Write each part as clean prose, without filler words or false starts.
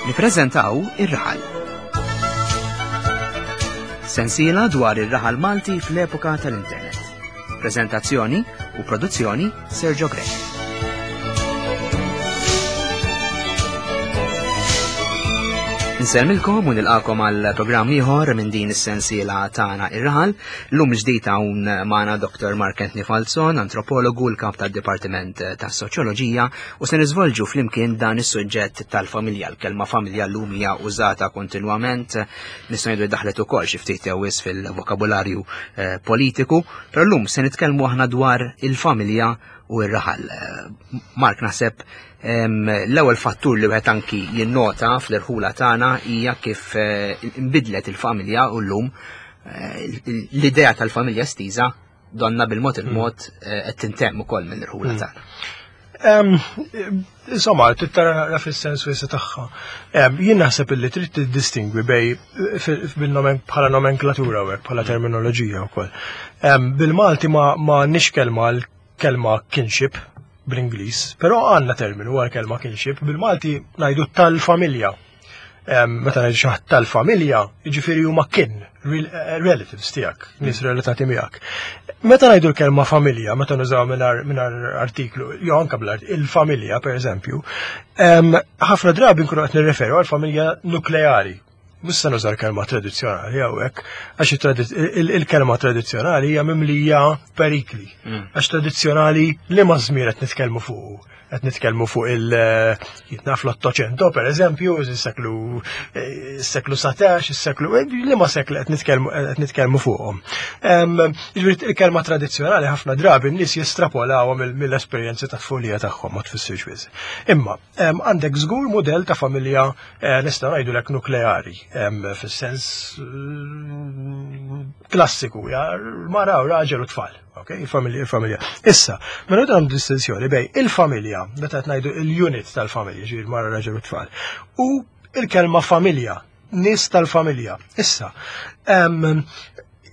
Nippreżentaw Ir-Raħal. Sensiela dwar ir-raħal Malti fl-epoka tal-internet. Preżentazzjoni u produzzjoni Sergio Grech. Insellmilkom u nilqakom għal programm ieħor minn din is-sensiela tagħna ir-raħal. Lum ġdid hawn magħna Dr. Mark Anthony Falzon, antropologu l-kap tad-Dipartiment tas-Soċjoloġija u se niżvolġu flimkien dan is-suġġett tal-familja. L-kelma familja llum hija użata kontinwament, nistgħu ngħidu daħlet ukoll xi ftit jew fil-vokabularju eh, politiku, però llum se nitkellmu aħna dwar il-familja u r-raħal. Mark naħseb l-ewwel fattur li wieħed anki jinnota fl-irħula tagħna hija kif eh, inbidlet il-familja u llum eh, l-idea tal-familja stiża donna bil-mod il-mod hmm. eh, qed tintemm ukoll mill-irħula hmm. tagħna. Insomma, trid tara fis-sens wiesa tagħha. Jien naħseb illi trid tiddistingwi bej bħala nomenklatura u bħala terminoloġija wkoll. Bil-Malti ma nix kelma l-kelma kinship bl-Ingliż, però għandna terminu għal kelma kinship, bil-Malti ngħidu tal-familja. Meta ngħidu xi ħadd tal-familja, jiġifieri huma kin, eh, relatives tiegħek, nies relatati miegħek. Meta ngħidu l-kelma familja, meta nużaw mingħajr artiklu, jew anke bl il-familja pereżempju, ħafna drabi nkunu qed nirreferu għal familja nukleari. Mhux se nuża l-kelma tradizzjonali hawnhekk, għax il-kelma tradizzjonali hija mimlija perikli. Mm. Għax tradizzjonali li ma żmien qed nitkellmu fuq. Qed nitkellmu fuq il jitnaf l-Ottocento, per eżempju, is-seklu seklu 17, is-seklu li ma seklu qed nitkellmu qed nitkellmu fuqhom. Jiġifieri il-kelma tradizzjonali ħafna drabi n-nies jestrapolawha mill-esperjenzi ta' tfulija tagħhom ma tfissirx biss. Imma għandek żgur mudell ta' familja eh, nistgħu ngħidulek nukleari fis-sens eh, klassiku, ja, mara u raġel u tfal. Ok, il-familja, il-familja. Issa, mela għandu distinzjoni bej il-familja, meta qed ngħidu il-unit tal-familja, ġifieri mara raġel u tfal, u il-kelma familja, nies tal-familja. Issa,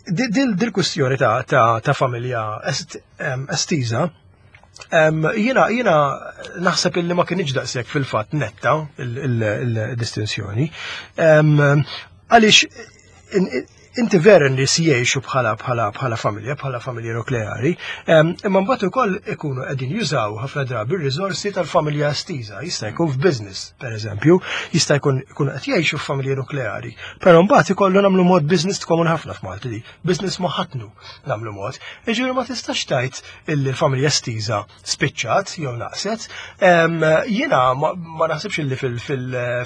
dil-kwistjoni ta' familja estiża, Jiena jiena naħseb illi ma kienx daqshekk fil-fatt netta il-distinzjoni. Għaliex inti vera nies jgħixu bħala bħala bħala familja, bħala familja nukleari, imma mbagħad ukoll ikunu qegħdin jużaw ħafna drabi r-riżorsi tal-familja estiża, jista' jkun f'business, pereżempju, jista' jkun ikunu qed jgħixu f'familja nukleari, però mbagħad ikollu nagħmlu mod business tkomun ħafna f'Malti di, business ma ħatnu nagħmlu mod. Jiġifieri ma tistax tgħid illi l-familja estiża spiċċat jew naqset. Jiena ma naħsibx illi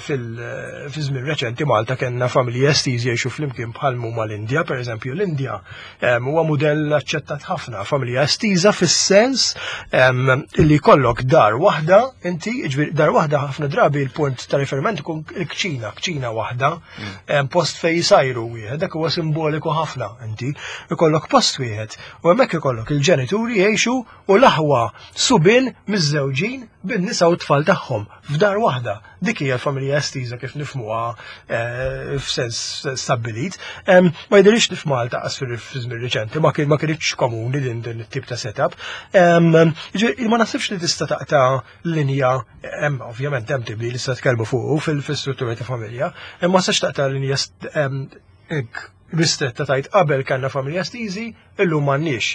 fil-żmien reċenti Malta kellna familji estiżi jgħixu flimkien bħal huma l-Indja, pereżempju l-Indja huwa mudell aċċettat ħafna, familja estiża fis-sens illi jkollok dar waħda, inti, dar waħda ħafna drabi l-punt ta' riferiment ikun il-kċina, kċina waħda, mm. post fej jisajru wieħed, dak huwa simboliku ħafna inti, ikollok post wieħed U hemmhekk ikollok il-ġenituri jgħixu u l-aħwa subien miżżewġin bin-nisa u t-tfal tagħhom f'dar waħda. Dik hija l-familja estiża kif nifhmuha eh, f'sens stabbilit. Ma jidhirx li f'Malta qas fil-żmien riċenti ma kien ma kienx komuni din din it-tip ta' setup. Ma naħsibx li tista' taqta' linja hemm ovvjament hemm tibdil li tista' tkellmu fuqu fil-struttura ta' familja, imma sax taqta' linja ristretta tajt qabel kellna familja stiżi, illum m'għandniex.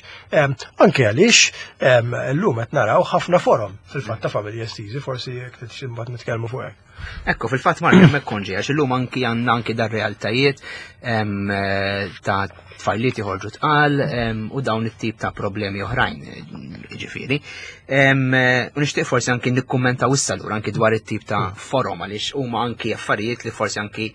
Anke għaliex illum qed naraw ħafna forom fil-fatt ta' familja estiżi, forsi jekk imbagħad nitkellmu fuq hekk. Ekku, fil-fatt Mark hemmhekk konġi għax illum anki għandna anki dar realtajiet ta' tfajliet joħorġu tqal u dawn it-tip ta' problemi oħrajn, ġifieri. U nixtieq forsi anki nikkummentaw issa lura anki dwar it-tip ta' forom għaliex huma anki affarijiet li forsi anki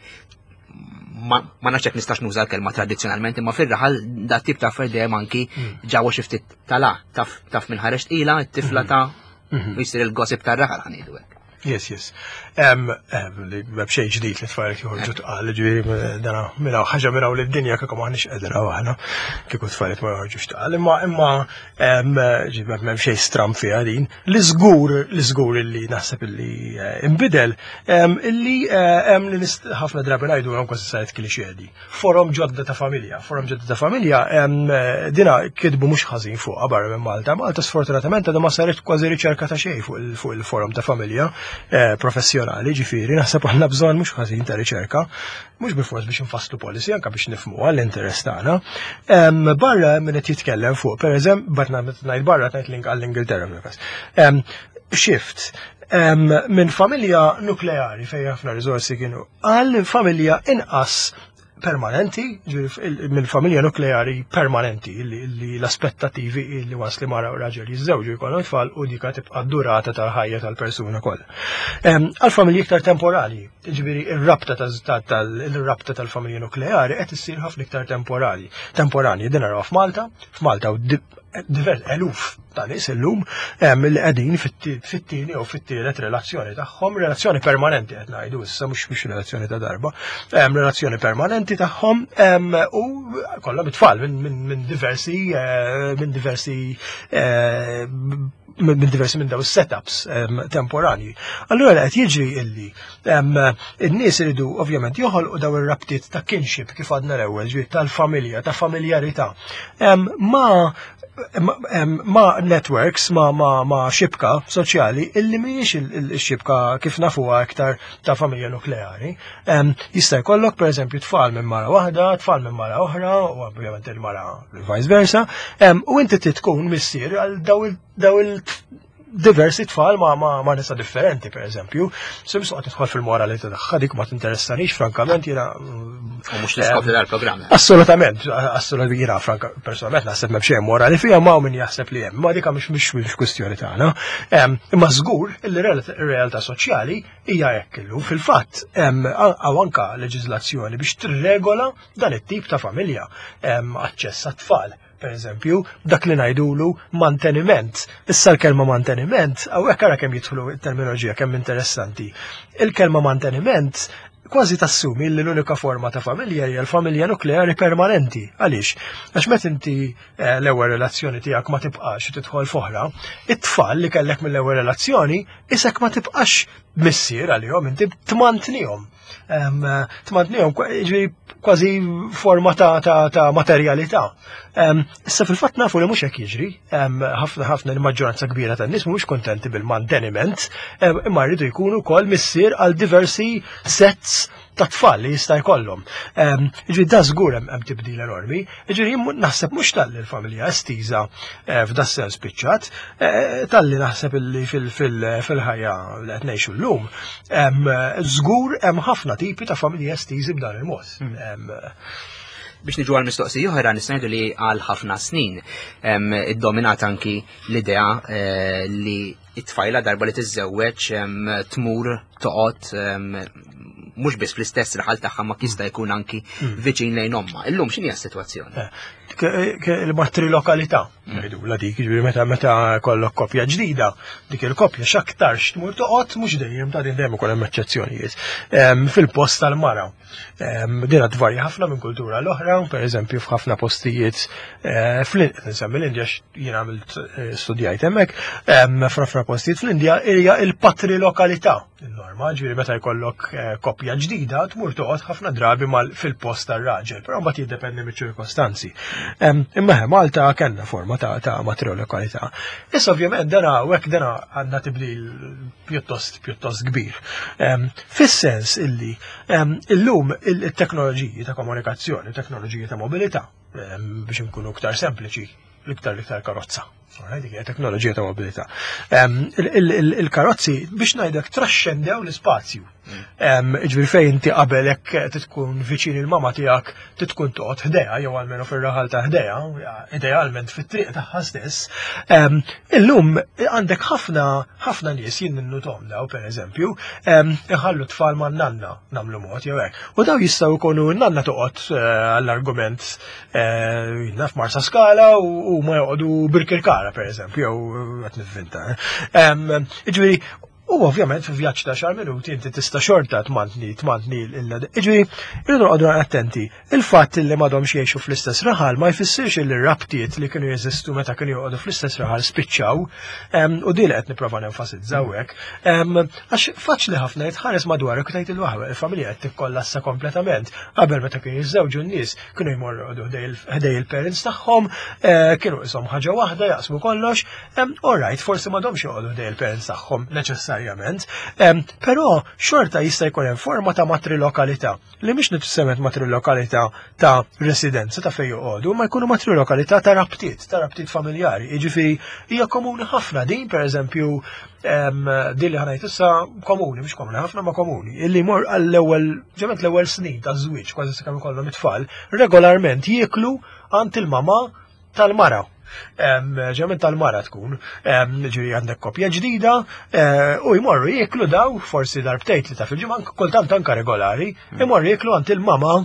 ma nafx jekk nistax nuża l-kelma tradizzjonalment, imma fir-raħal da tip ta' affarijiet dejjem anki hmm. ġewwa xi ftit tala, taf taf minn ħareġ tqila, t-tifla hmm. ta' hmm. jsir il-gossip tar-raħal ħanidu hekk. Yes, yes. Li b'xej ġdid li tfajl joħorġu tqal, ġifieri dana minna ħaġa minna li d-dinja kieku maħniex qegħdin aħna kieku tfajl ma joħorġux tqal. Imma imma ġifieri m'hemm xejn stram fiha din. Li żgur, li żgur illi naħseb illi eh, imbidel, illi eh, hemm li ħafna drabi ngħidu hemm kważi saret klixedi. Forom ġodda ta' familja, forom ġodda ta' familja, eh, dina kitbu mhux ħażin fuqha barra minn Malta. Malta sfortunatament għadha ma saret kważi riċerka ta' xejn fuq il-forom ta' familja. eh, professjonali, ġifieri naħseb għandna bżonn mhux ħażin ta' riċerka, mhux bilfors biex infasslu policy, anke biex nifhmu għall-interess tagħna. Barra min qed jitkellem fuq, pereżempju, bat ngħid barra ngħid għall-Ingilterra fil-każ. Shift minn familja nukleari fejn ħafna riżorsi kienu għal familja inqas permanenti, minn familja nukleari permanenti, li l-aspettativi li was li mara u raġel jiżżewġu jkollhom tfal u dika tibqa' durata tal-ħajja tal-persuna kollha. Għal familji iktar temporali, ġifieri ir-rabta tal-rabta tal-familja nukleari qed issir ħafna iktar temporali. Temporani din naraw f'Malta, f'Malta u divers eluf ta' nies illum li qegħdin fit-tieni jew fit-tielet relazzjoni tagħhom, relazzjoni permanenti qed ngħidu issa mhux mhux relazzjoni ta' darba, relazzjoni permanenti tagħhom u kollha it-tfal minn diversi eh, minn diversi eh, minn diversi minn daw setups temporani. Allura qed jiġri illi in-nies iridu ovvjament joħolqu daw ir-rabtiet ta' kinship kif għadna l-ewwel, ġifieri tal-familja, ta' familjarità. Ma ma networks, ma, ma, ma xibka soċjali illi mhijiex il-xibka kif nafuha iktar ta' familja nukleari. Jista' jkollok pereżempju tfal minn mara waħda, tfal minn mara oħra, u ovvjament il-mara vice versa, u inti tkun missier għal daw il diversi tfal ma, ma, ma nisa differenti, per eżempju. Sim soqgħod tidħol fil-moralità tagħha dik ma tinteressanix, frankament jiena. U mhux l-iskop tal-programm. Assolutament, assolutament jiena franka personalment naħseb m'hemm xejn morali fiha ma min jaħseb li hemm, ma dik mhux mhux mhux kwistjoni tagħna. Imma żgur li r-realtà soċjali hija hekk illum. Fil-fatt hawn anka leġiżlazzjoni biex tirregola dan it-tip ta' familja aċċess għat-tfal per eżempju, dak li ngħidulu manteniment. Issa l-kelma manteniment, hawnhekk ara kemm jidħlu terminoloġija kemm interessanti. Il-kelma manteniment kważi tassumi li l-unika forma ta' familja hija l-familja nukleari permanenti. Għaliex? Għax meta inti eh, l-ewwel relazzjoni tiegħek ma tibqax u tidħol f'oħra, it-tfal li kellek mill-ewwel relazzjoni isek ma tibqax missier għalihom, inti tmantnihom. Tmantnihom kważi forma ta', ta, ta materjalità. Issa fil-fatt nafu li mhux hekk jiġri, ħafna ħafna l-maġġoranza kbira tan-nies mhumiex kontenti bil-manteniment, imma rridu jkunu wkoll missier għal diversi sets ta' tfal li jista' jkollhom. Ġifieri da żgur hemm tibdil enormi. Ġifieri naħseb mhux talli l-familja estiża eh, f'da sens spiċċat, eh, talli naħseb illi fil-ħajja li qed ngħixu llum, żgur hemm ħafna tipi ta' familji estiżi b'dan il-mod. Hmm. Biex niġu għal mistoqsija oħra nista' li għal ħafna snin iddominat anki l-idea eh, li it-tfajla darba li tiżżewweġ tmur toqgħod mhux biss fl-istess raħal tagħha ma jista' jkun anki hmm. viċin lejn omma. Illum x'inhi s-sitwazzjoni? Eh, il-matrilokalità, hmm. ngħidu la dik, jiġifieri meta meta kollok koppja ġdida, dik il-koppja x'aktarx tmur toqgħod mhux dejjem ta' din dejjem ukoll hemm eċċezzjonijiet. Fil-post tal-mara. Din tvarja ħafna minn kultura l-oħra, per eżempju f'ħafna postijiet eh, fl-insemmi l-Indja jien għamilt eh, studjajt hemmhekk, f'ħafna postijiet fl-Indja hija il-patrilokalità il-norma, ġifieri meta jkollok eh, koppja ġdida tmur toqgħod ħafna drabi fil-post tar-raġel, però mbagħad jiddependi miċ-ċirkostanzi. Imma Malta kellna forma ta' matrilokalità. Issa ovvjament dana u hekk dana għandna tibdil pjuttost pjuttost kbir. Fis-sens illi illum il-teknoloġiji ta' komunikazzjoni, teknoloġiji ta' mobilità, biex nkunu iktar sempliċi, l-iktar l-iktar karozza. Dik hija teknoloġija ta' mobilità. Il-karozzi biex ngħidlek traxxendew l-ispazju. Ġifieri fejn inti qabel hekk tkun viċin il-mama tiegħek tkun toqgħod ħdejha jew almenu fir-raħal ta' ħdejha, idealment fit-triq tagħha stess. Illum għandek ħafna ħafna nies jien ninnutom daw pereżempju, iħallu tfal ma' nanna nagħmlu mod jew hekk. U daw jistgħu jkunu nanna toqgħod eh, għall-argument eh, naf Marsa Skala u ma joqogħdu Birkirkara pereżempju jew qed nivvinta. Ġifieri U ovvjament fi vjaġġ ta' xar minuti inti tista' xorta tmantni tmantni l Iġifieri, irridu noqogħdu attenti. Il-fatt li m'għadhomx jgħixu fl-istess raħal ma jfissirx li r-rabtiet li kienu jeżistu meta kienu joqogħdu fl-istess raħal spiċċaw. U din qed nipprova nenfasizzaw hekk. Għax faċli ħafna jitħares madwarek u tgħid il-waħwa, il-familja qed tikkollassa kompletament. Qabel meta kienu jiżżewġu n-nies kienu jmorru ħdej il-parents tagħhom, eh, kienu ishom ħaġa waħda jaqsmu kollox, All right, forsi m'għadhomx joqogħdu ħdej il-parents tagħhom neċessarjament. neċessarjament, però xorta jista' jkun hemm forma ta' matrilokalità li mhix neċessarjament matrilokalità ta' residenza ta' fejn joqogħdu, ma jkunu matrilokalità ta' rabtiet, ta' rabtiet familjari. Jiġifieri hija komuni ħafna din, pereżempju, din li ħanajt issa komuni, mhux komuni ħafna ma komuni, illi jmur għall-ewwel ġement l-ewwel snin ta' żwieġ kważi sakemm ikollhom it-tfal, regolarment jieklu għand il-mama tal-mara. Ġement tal-mara tkun, ġiri għandek kopja ġdida eh, u jmorru jieklu daw, forsi darbtejt li ta' fil-ġimgħa, kultant anka regolari, hmm. imorru jieklu għand il-mama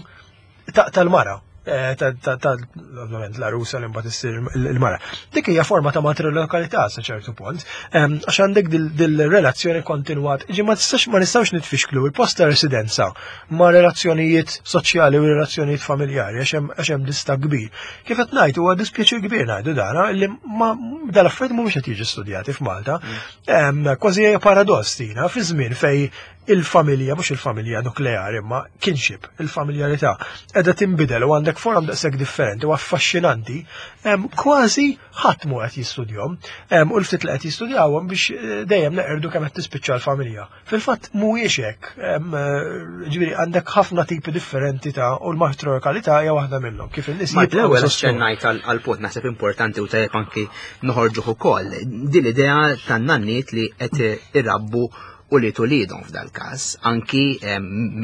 tal-mara. Eh, ovvjament l-arusa li mbagħad issir il-mara. Dik hija forma ta' matrilokalità sa ċertu punt, għax għandek dil-relazzjoni kontinwat. Ġi ma tistax ma nistgħux nitfixklu il-post ta' residenza ma' relazzjonijiet soċjali u relazzjonijiet familjari għax hemm dista kbir. Kif qed ngħid huwa dispjaċir kbir ngħidu dana li ma dal-affarijiet mhumiex qed jiġu studjati f'Malta. Mm. Kważi hija paradoss tina fi żmien fej il-familja, mhux il-familja nukleari, imma kinship, il-familjarità, qiegħda tinbidel u għandek forom daqshekk differenti u affaxxinanti, kważi ħadd mhu qed jistudjhom, u l-ftit li qed jistudjawhom biex eh, dejjem neqerdu kemm qed tispiċċa l-familja. Fil-fatt mhuwiex hekk, eh, ġifieri għandek ħafna tipi differenti ta' u l-matriarkalità hija waħda minnhom. Kif in-nies Ma l-ewwel aċċennajt għal punt naħseb importanti u tajjeb anki noħorġuh ukoll. Din l-idea tan-nanniet li qed irabbu u li tulidhom f'dal-każ, anki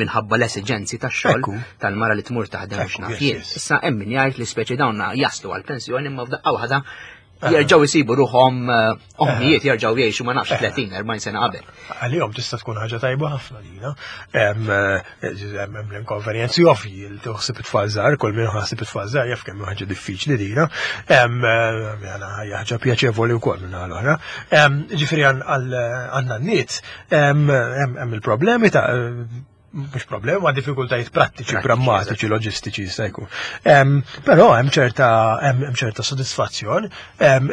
minħabba l-esiġenzi tax-xogħol tal-mara li tmur taħdem biex naf jien. Issa hemm min jgħid li speċi dawn jaslu għall-pensjoni imma f'daqqa waħda jerġgħu jsibu ruħhom eh, ommijiet jerġgħu jgħixu ma nafx 30 40 sena qabel. Għalihom tista' tkun ħaġa tajba ħafna lina. Hemm eh, l-inkonvenjenzi ovvji li toħsib it-tfal żgħar, kull min ħasib it-tfal żgħar jaf kemm ħaġa diffiċli dina. Eh, ħaġa pjaċevoli wkoll minn l-oħra. Ġifieri għan-nanniet hemm il-problemi ta' mhux problemi, ma' diffikultajiet prattiċi, prammatiċi, loġistiċi jista' jkun. Però hemm ċerta hemm ċerta sodisfazzjon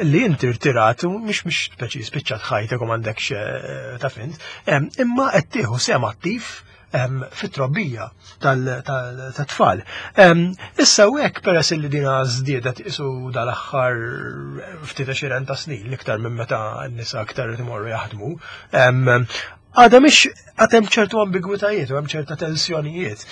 li inti rtirat u mhux mhux speċi spiċċat ħajtek u m'għandekx eh, ta' fint, imma qed tieħu sehem attiv fit-trobbija tal-tfal. Issa u hekk peress li dina żdiedet isu dal-aħħar ftit għexieren ta' snin l-iktar minn meta n-nisa aktar imorru jaħdmu, għadha mhix għad hemm ċertu ambigwitajiet u hemm ċerta tensjonijiet.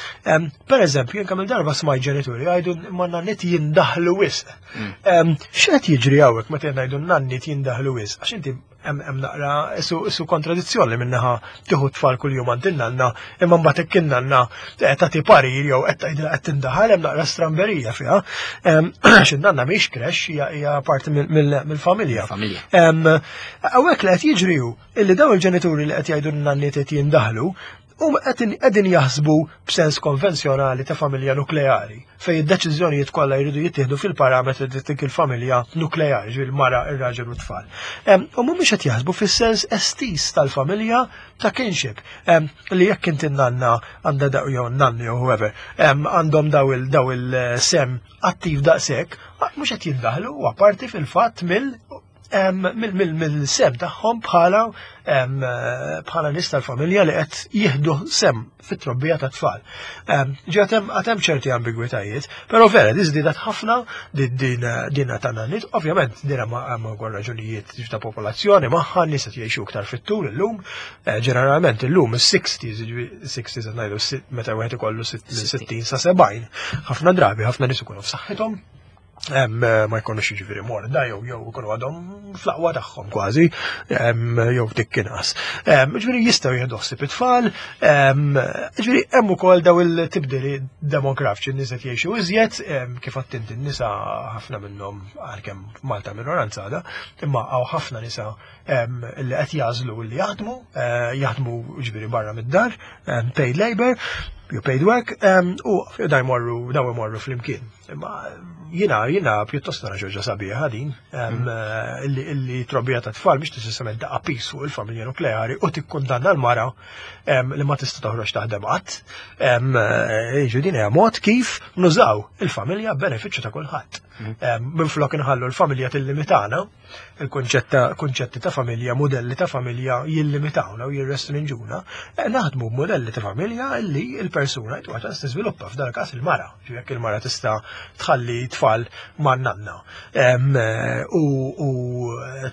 Per eżempju, jien kemm il-darba smajt ġenituri jgħidu ma nanniet jindaħlu wisq. Mm. X'qed jiġri hawnhekk meta ngħidu nanniet jindaħlu wisq? Għax inti hemm naqra su kontradizzjoni li minnaħa tieħu tfal kuljum għand in-nanna, imma mbagħad hekk in-nanna eh, tagħti parir jew qed tgħidilha qed tindaħal hemm naqra stramberija fiha. Għax in-nanna mhix krex hija parti mill-familja. Hawnhekk li qed jiġri hu illi dawn il-ġenituri li qed jgħidu n-nanniet qed jindaħlu huma qegħdin jaħsbu b'sens konvenzjonali ta' familja nukleari, fejn id-deċiżjonijiet kollha jridu jittieħdu fil-parametri ta' dik il-familja nukleari, ġifieri il-mara, ir-raġel u t-tfal. U mhumiex qed jaħsbu fis-sens estiż tal-familja ta' kinship, li jekk inti nanna għandha daw jew nanni jew whoever, għandhom daw il-sem attiv daqshekk, mhux qed jindaħlu u apparti fil-fatt mill mill-sem tagħhom bħala bħala nies tal-familja li qed jieħdu sem fit-trobbija ta' tfal. Ġi għatem ċerti ambigwitajiet, però vera di żdiedet ħafna din ta' nanniet, ovvjament din hemm ukoll raġunijiet ta' popolazzjoni magħha nies qed jgħixu iktar fit-tul illum, eh, ġeneralment illum is-60s, 60s qed ngħidu meta wieħed ikollu 60 sa 70, ħafna drabi ħafna nies ikunu f'saħħithom Eh, ma jkunux jiġifieri morda jew jew ikunu għadhom fl-aqwa tagħhom kważi jew ftit inqas. Ġifieri jistgħu jieħdu ħsieb it-tfal, ġifieri hemm ukoll daw il-tibdili demografiċi n-nies qed jgħixu iżjed, kif għedt inti n-nisa ħafna minnhom għalkemm Malta minoranza għadha, imma hawn ħafna nisa li qed jażlu li jaħdmu, eh, jaħdmu ġifieri barra mid-dar, paid labor, jew paid work, u da jmorru daw imorru flimkien. Imma jina, jina pjuttost nara ġoġa sabiħa din, mm. eh, illi trobbija ta' tfal biex tisissament daqqa pis fuq il-familja nukleari u tikkundanna l-mara li ma tista' toħroġ taħdem qatt. Eh, jiġu din hija mod kif nużaw il-familja benefiċċju ta' kulħadd. Mm. Minflok inħallu l-familja tillimitana, il-kunċetti ta' familja, modelli ta' familja jillimitawna u jirrestrinġuna, eh, naħdmu b'modelli ta' familja li l-persuna jtuha ċans tiżviluppa f'dan każ il-mara, jekk il-mara tista' tħalli tfal ma' nanna eh, u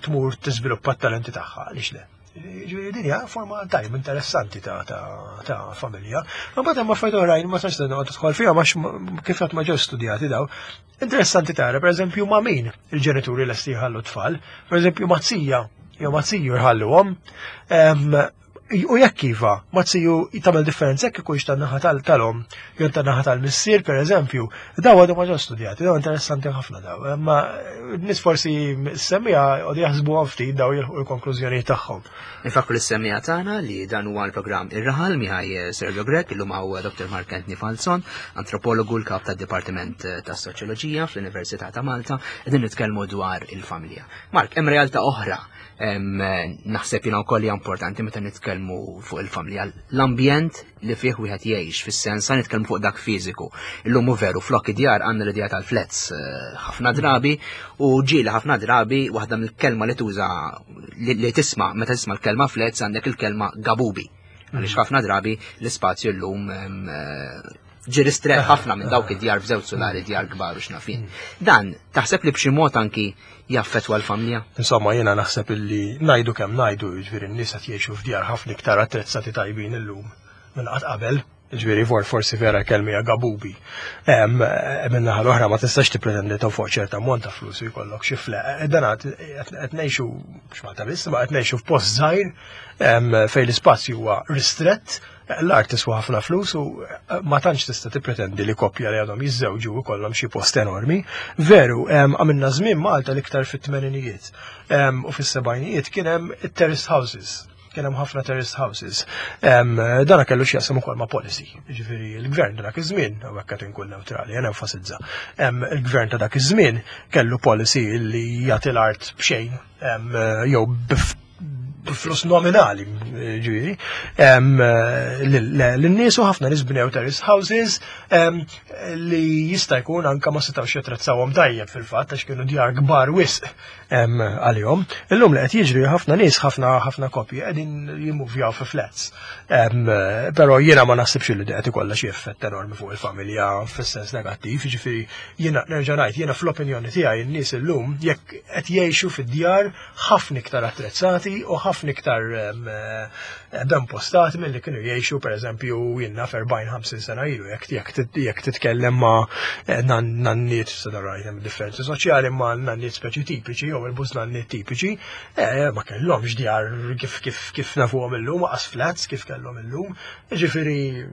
tmur tiżviluppa t-talenti tagħha għaliex le. Ġifieri din hija forma tajb interessanti ta' ta' familja. Imbagħad hemm affarijiet oħrajn ma tantx noqgħod tidħol fiha għax kif qatt ma ġew studjati daw. Interessanti tara pereżempju ma' min il-ġenituri lesti jħallu tfal, pereżempju ma' zija jew ma' ziju jħalluhom. U jekk iva, ma ziju tagħmel differenza jekk ikunx tan-naħa tal-om jew tan-naħa tal-missier pereżempju, daw għadu ma ġew studjati, daw interessanti ħafna daw. Imma nies forsi semmija għadu jaħsbu ftit daw jilħu l-konklużjoni tagħhom. Infakru l-semmija tagħna li dan huwa l-programm Ir-Raħal miħaj Sergio Grech, illum hawn Dr. Mark Anthony Falzon, antropologu l-kap tad-Dipartiment tas-Soċjoloġija fl-Università ta' Malta, qegħdin nitkellmu dwar il-familja. Mark, hemm realtà oħra naħseb jiena wkoll hija importanti meta nitkellmu fuq il-familja, l-ambjent li fih wieħed jgħix fis-sens sa nitkellmu fuq dak fiżiku. Illum hu veru flok id-djar għandna l-idea tal-flats eh, ħafna drabi u ġieli ħafna drabi waħda mill-kelma li tuża li tisma' meta tisma' l-kelma flats għandek il-kelma gabubi. Għaliex ħafna drabi l-ispazju llum eh, ġi ristret ħafna minn dawk id-djar f'żewġ sulari djar kbar u x'nafin. Dan taħseb li b'xi mod anki jaffettwa l-familja? Insomma, jiena naħseb illi ngħidu kemm ngħidu, jiġifieri n-nies qed jgħixu f'djar ħafna iktar attrezzati tajbin illum minn qatt qabel. Ġifieri for forsi vera kelmi hija gabubi. Minn naħa l-oħra ma tistax tippretendi ta' fuq ċerta ammont ta' flus u jkollok xi fle. Dan qed ngħixu mhux Malta biss, ma qed ngħixu f'post żgħir fejn l-ispazju huwa ristrett L-art tiswa ħafna flus u eh, ma tantx tista' tippretendi li koppja li għadhom jiżżewġu jkollhom xi post enormi. Veru, għamilna żmien Malta l-iktar fit-tmeninijiet u fis-sebgħinijiet kien hemm it-terraced houses kien hemm ħafna terraced houses. Dana kellu x'jaqsam ukoll ma' policy. Ġifieri l-gvern ta' dak iż-żmien, u hekk qed inkun neutrali, jien enfasizza. Il-gvern ta' dak iż-żmien kellu policy li jagħti l-art b'xejn jew flus nominali, ġifieri, lin-nies u ħafna nies bnew terrace houses li jista' jkun anka ma setgħux jattrezzawhom tajjeb fil-fatt għax kienu djar kbar wisq għalihom. Illum li qed jiġri ħafna nies ħafna ħafna koppji qegħdin jimmuvjaw fi flats. Però jiena ma naħsibx li qed ikollha xi effett enormi fuq il-familja fis-sens negattiv, jiġifieri jiena nerġa' ngħid jiena fl-opinjoni tiegħi n-nies illum jekk qed jgħixu fid-djar ħafna iktar attrezzati u ħafna iktar eh, ben postati milli kienu jgħixu pereżempju jiena f'40-50 sena ilu jekk titkellem ma' eh, nanniet sadarajt hemm differenzi soċjali ma' nanniet speċi tipiċi jew il-bus nanniet tipiċi eh, ma kellhomx djar kif kif kif nafuhom illum qas flats kif kellhom illum Ġifieri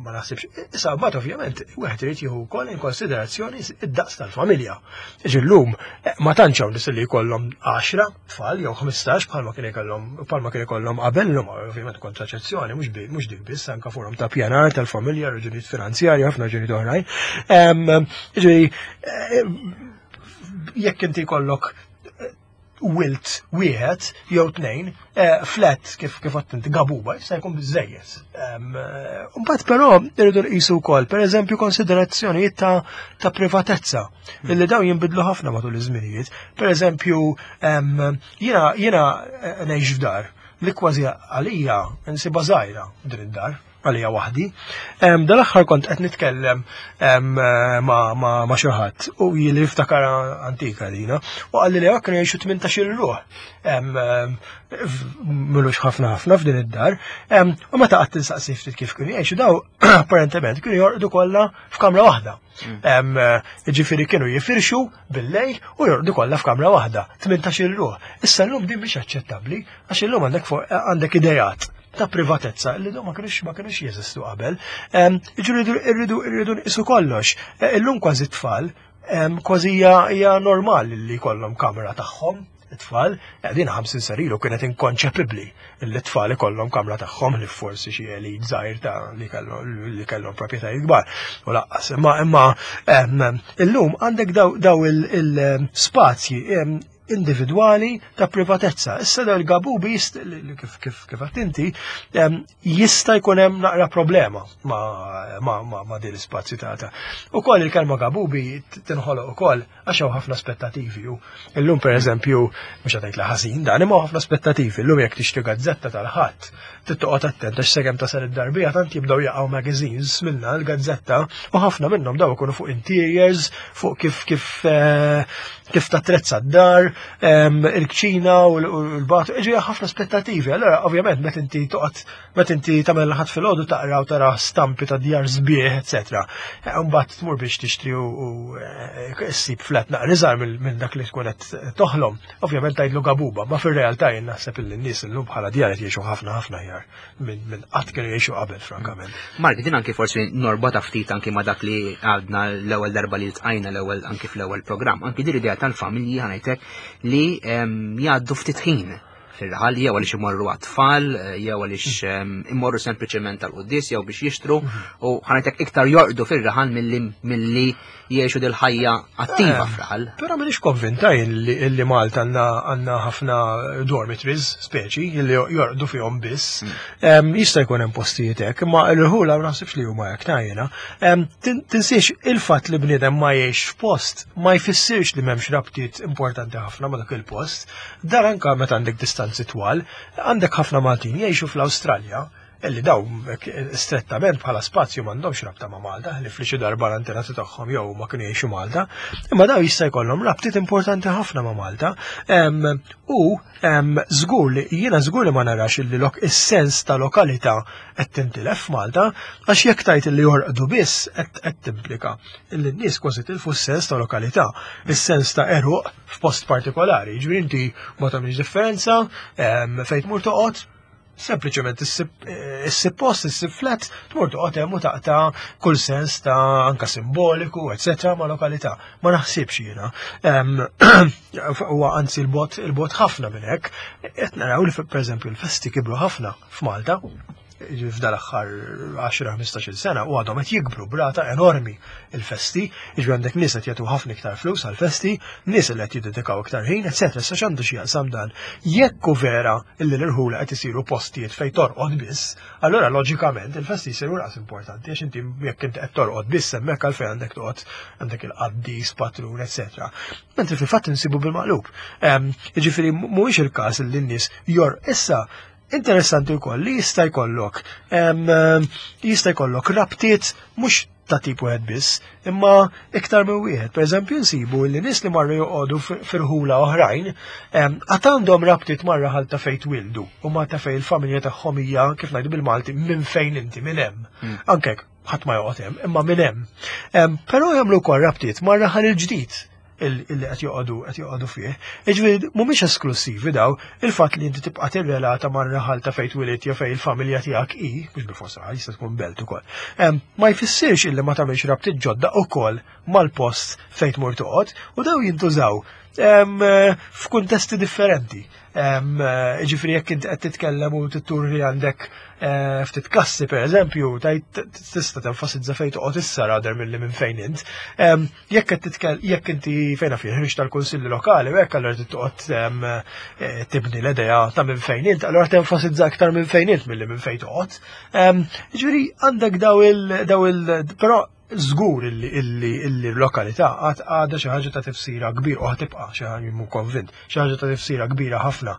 ma naħsibx. Issa mbagħad ovvjament wieħed irid jieħu wkoll in konsiderazzjoni id-daqs tal-familja. Ġi llum eh, ma tantx hawn nies li jkollhom 10 tfal jew 15 bħalma kien ikollhom bħalma kien ikollhom qabel llum ovvjament kontraċezzjoni mhux dik biss anke forum ta' pjanar tal-familja, raġunijiet finanzjarji, ħafna raġunijiet oħrajn. Ġifieri eh, jekk inti jkollok wilt wieħed jew tnejn, eh, flat kif kif inti gabuba jista' jkun biżejjed. Eh, mbagħad però irridu nqisu wkoll pereżempju konsiderazzjonijiet ta', ta privatezza hmm. illi dawn jinbidlu ħafna matul iż-żminijiet. Pereżempju jiena jiena eh, ngħix f'dar li kważi għalija nsibha żgħira din id-dar għalija waħdi. Dal-aħħar kont qed nitkellem ma' xi ħadd u jili niftakar antika dina u qalli li kienu jgħixu 18 ruħ milux ħafna ħafna f'din id-dar. U meta qatt tinsaqsi ftit kif kienu jgħixu daw apparentement kienu jorqdu kollha f'kamra waħda. Mm. Ġifieri kienu jifirxu bil-lejl u jorqdu kollha f'kamra waħda, 18 ruħ. Issa llum din mhix aċċettabbli għax illum għandek għandek idejat ta' privatezza li ma kienux ma kienux jeżistu qabel. Ġifieri irridu irridu nqisu kollox. E, illum kważi tfal, kważi hija normali li jkollhom kamra tagħhom it-tfal, e, din 50 sena ilu kienet inkonċepibbli li t-tfal ikollhom kamra tagħhom li forsi xi elit żgħir ta' li kellhom proprjetajiet kbar. U laqqas, imma imma illum għandek daw il-spazji individwali ta' privatezza. Issa dal gabubi kif kif kif inti jista' jkun hemm naqra problema ma' ma' ma' ma' din l-ispazju ta' Ukoll il-kelma gabubi tinħoloq ukoll għax hawn ħafna aspettativi u illum pereżempju mhux qed li ħażin dan imma ħafna aspettativi illum jekk tixtri gazzetta tal-ħadd trid toqgħod attent għax sakemm tasal id-darbija tant jibdew jaqgħu magazines minna l-gazzetta u ħafna minnhom daw ikunu fuq interiors, fuq kif kif eh, kif tatrezza d-dar. il-kċina u l-bat, ġi ħafna aspettativi. Allora, ovvjament, meta inti toqgħod, meta inti tagħmel ħadd filgħodu taqra u tara stampi ta' djar sbieħ, eċetera. Eh, mbagħad tmur biex tixtri u eh, ssib flat naqra iżgħar minn dak li tkun qed toħlom. Ovvjament tgħidlu gabuba, ma fir-realtà jien naħseb illi n-nies illum bħala djar qed jgħixu ħafna ħafna aħjar minn qatt kienu jgħixu qabel frankament. Mark, din anki forsi norbota ftit anki ma dak li għadna l-ewwel darba li ltqajna l-ewwel anki fl-ewwel programm, anki din l-idea tal-familji ħanajtek li jgħaddu ftit ħin fir-raħal jew għaliex imorru għat-tfal, jew għaliex imorru sempliċement tal-quddis jew biex jixtru u ħanajtek iktar jorqdu fir-raħal milli jgħixu dil-ħajja attiva eh, f'raħal. Però m'iniex konvinta illi Malta għandna ħafna dormitories speċi illi jorqdu fihom biss. Hmm. Jista' jkun hemm postijiet hekk, imma l-irħula ma naħsibx li huma hekk ta' jiena. Tinsiex il-fatt li bniedem ma jgħix f'post ma jfissirx li m'hemmx rabtiet importanti ħafna ma dak il-post. Dan anka meta għandek distanzi twal, għandek ħafna Maltin jgħixu fl-Awstralja illi daw strettament bħala spazju m'għandhomx rabta ma' Malta, li fli darba l-antenati tagħhom jew ma kienu jgħixu Malta, imma daw jista' jkollhom rabtiet importanti ħafna ma' Malta. U żgur li jiena żgur li ma narax illi lok is-sens ta' lokalità qed tintilef f'Malta, għax jekk tajt illi jorqdu biss qed timplika illi n-nies kważi tilfu s-sens ta' lokalità, is-sens ta' eruq f'post partikolari. Ġifieri inti ma tagħmilx differenza fejn tmur toqgħod, sempliċement issib post, issib flat, tmur toqgħod hemm u taqta' kull sens ta' anka simboliku, eċetera, ma' lokalità. Ma naħsibx jiena. Huwa anzi l-bot il-bot ħafna minn hekk. Qed naraw li pereżempju l-festi kibru ħafna f'Malta f'dal aħħar 10-15 sena u għadhom qed jikbru brata enormi il-festi, jiġri għandek nies qed jagħtu ħafna iktar flus għall-festi, nies li qed jiddedikaw iktar ħin, eċetera, sa x'għandu x'jaqsam dan. Jekk hu vera illi l-irħula qed isiru postijiet fejn torqod biss, allura loġikament il-festi jsiru raqs importanti għax inti jekk inti qed torqod biss hemmhekk għalfejn għandek toqgħod għandek il-qaddis, patrun, eċetera. Mentri fil-fatt insibu bil-maqlub. Ehm, jiġifieri mhuwiex il-każ li n-nies jor issa interessanti wkoll li jista' jkollok ehm, jista' jkollok rabtiet mhux ta' tip wieħed biss, imma iktar minn wieħed. Per eżempju, nsibu li nies li marru joqogħdu firħula oħrajn, għad għandhom rabtiet mar-raħal ta' fejn twildu u ma ta' fejn il-familja tagħhom hija kif ngħidu bil-Malti minn fejn inti minn hemm. Hmm. Anke ħadd ma joqgħod hemm, imma minn hemm. Però jagħmlu wkoll rabtiet mar-raħal il-ġdid illi qed joqogħdu qed joqogħdu fih. Jiġifieri mhumiex esklussivi daw, il-fatt li inti tibqa' tirrelata mar-raħal ta' fejn twilidt jew fejn il-familja tiegħek hi, mhux bil-fors raħal jista' tkun belt ukoll. Ma jfissirx illi ma tagħmilx rabtiet ġodda ukoll mal-post fejn tmur toqgħod u daw jintużaw f'kuntesti differenti. Eh, ġifri jekk inti qed titkellem u tittur li għandek eh, ftit kassi per eżempju, tajt tista' tenfasizza fejn toqgħod issa rader milli minn fejn int. Jekk qed titkellem jekk inti fejn fih ħriġ tal-kunsilli lokali u hekk allura trid toqgħod eh, tibni l-idea ta' minn fejn int, allura tenfasizza aktar minn fejn int milli minn fejn toqgħod. Ġifieri għandek daw il daw il però żgur illi illi illi l-lokalità għad għadha xi ħaġa ta' tifsira kbir u ħatibqa' xi ħaġa mhu konvint, xi ħaġa ta' tifsira kbira ħafna.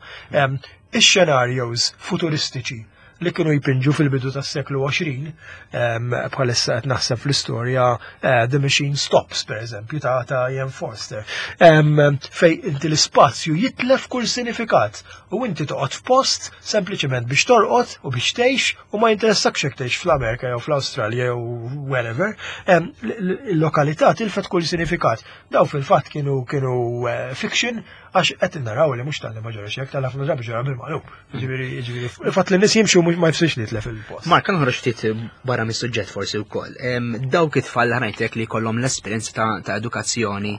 Ix-xenarjos futuristiċi li kienu jpinġu fil-bidu tas-seklu 20, bħalissa qed naħseb fl-istorja eh, The Machine Stops, per eżempju, ta' ta' Ian Forster, fej inti l-ispazju jitlef kull sinifikat u inti toqgħod f'post sempliċement biex torqod u biex tgħix U ma jinteressakx jekk tgħix fl-Amerika jew fl-Awstralja jew wherever, il-lokalità tilfet kull sinifikat. Daw fil-fatt kienu kienu eh, fiction għax qed naraw li mhux tal-li ma ġarax hekk tal-ħafna drabi ġara bil-maqlub. Ġifieri, ġifieri, il-fatt li nies jimxu ma jfissirx li tlef il-post. Mark, noħroġ ftit barra mis-suġġett forsi wkoll. Dawk it-tfal ħanajtek li jkollhom l-esperjenza ta' edukazzjoni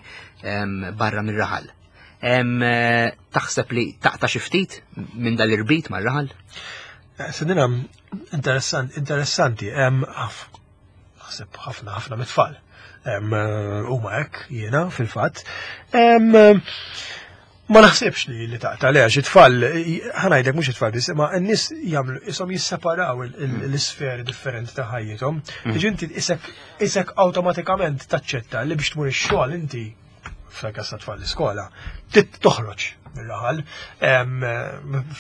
barra mir-raħal. Eh, taħseb li taqta' xi ftit minn dal-irbit mar-raħal? Eh, Sedina, interessanti, naħseb ħafna ħafna mit-tfal. Eh, huma hekk jiena fil-fatt. Ma naħsibx li li taqta' le għax it-tfal, ħanajdek mhux it-tfal biss, imma n-nies jagħmlu ishom jisseparaw l-isferi differenti ta' ħajjithom. Mm. Jiġi inti isek isek awtomatikament taċċetta li biex tmur ix-xogħol inti fil-każ ta' tfal l-iskola, toħroġ mir-raħal,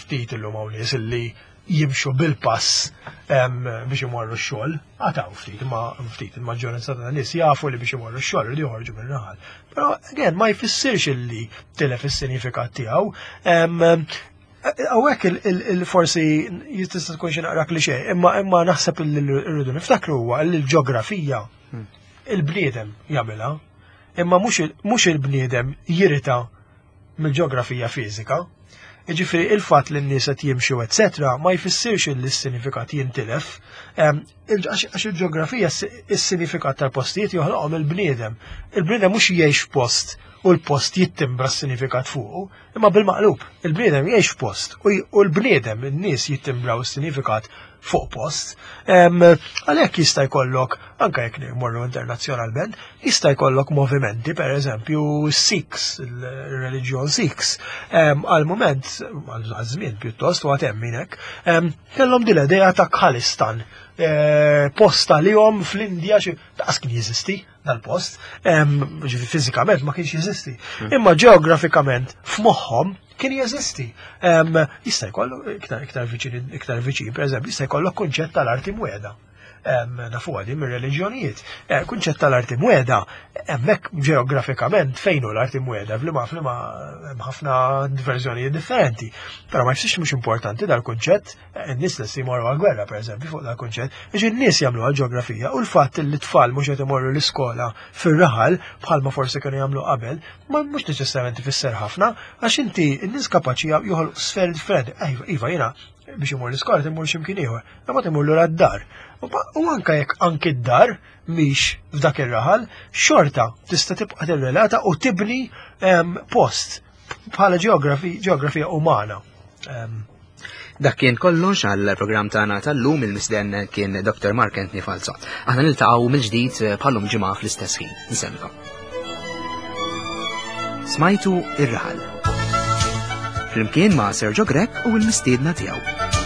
ftit illum hawn nies illi jimxu bil-pass biex imorru x-xogħol, għataw ftit, ma ftit il-maġġoranza ta' nies jafu li biex imorru x-xogħol li joħorġu mir-raħal. Però again ma jfissirx illi tilef is-sinifikat tiegħu. Hawnhekk il-forsi jistista tkun xi naqra klixè, imma imma naħseb li rridu niftakru huwa li l-ġeografija hmm. il-bniedem jagħmilha, imma mhux il-bniedem jirita mill-ġeografija fiżika. Jiġifieri il-fatt li n-nies qed jimxu etc. ma jfissirx li s-sinifikat jintilef, għax il-ġeografija s-sinifikat tal-postijiet joħloqhom il-bniedem. Il-bniedem mhux jgħix post u l-post jittimbra s-sinifikat fuqu, imma bil-maqlub, il-bniedem jgħix f'post u l-bniedem, in-nies jittimbraw s-sinifikat fuq post. Għalhekk jista' jkollok, anke jekk morru internazzjonalment, jista' jkollok movimenti, per eżempju, Sikhs, il-reliġjon Sikhs, għal-moment, għal-żmien pjuttost, u għatem minnek, kellhom din l-idea ta' Khalistan, eh, post għalihom fl-Indja, daqs kien jeżisti dal-post, ġifi fiżikament ma kienx jeżisti, hmm. imma ġeografikament f'moħħhom kien jeżisti. Jista' jkollu iktar iktar viċin iktar viċin, pereżempju, jista' jkollok kunċett tal-arti mweda. Nafu għadi mir-reliġjonijiet. Eh, kunċett tal-arti mweda, hemmhekk ġeografikament fejn hu l-arti mweda, flima flima hemm ħafna verżjonijiet differenti. Però ma jfissirx mhux importanti dal-kunċett, In-nies lesti jmorru għall-gwerra, pereżempju, fuq dal-kunċett, biex in-nies jagħmlu għall-ġeografija u l-fatt li t-tfal mhux qed imorru l-iskola fir-raħal bħalma forsi kienu jagħmlu qabel, ma mhux neċessarjament ifisser ħafna, għax inti n-nies kapaċi joħolqu sferi differenti. Iva, iva jiena biex imur l-iskola timur x'imkien ieħor, imma timur lura d-dar. U anke jekk anki d-dar mhix f'dak ir-raħal, xorta tista' tibqa' tirrelata u tibni ehm, post bħala ġeografija umana. Ehm, Dak kien kollox għal programm tagħna tal-lum il-misden kien Dr. Mark Anthony Falzo. Aħna niltaqgħu mill-ġdid eh, bħalum ġimgħa fl-istess ħin. Nsemmikom. Smajtu ir-raħal. Flimkien ma' Sergio Grech u l-mistiedna tiegħu.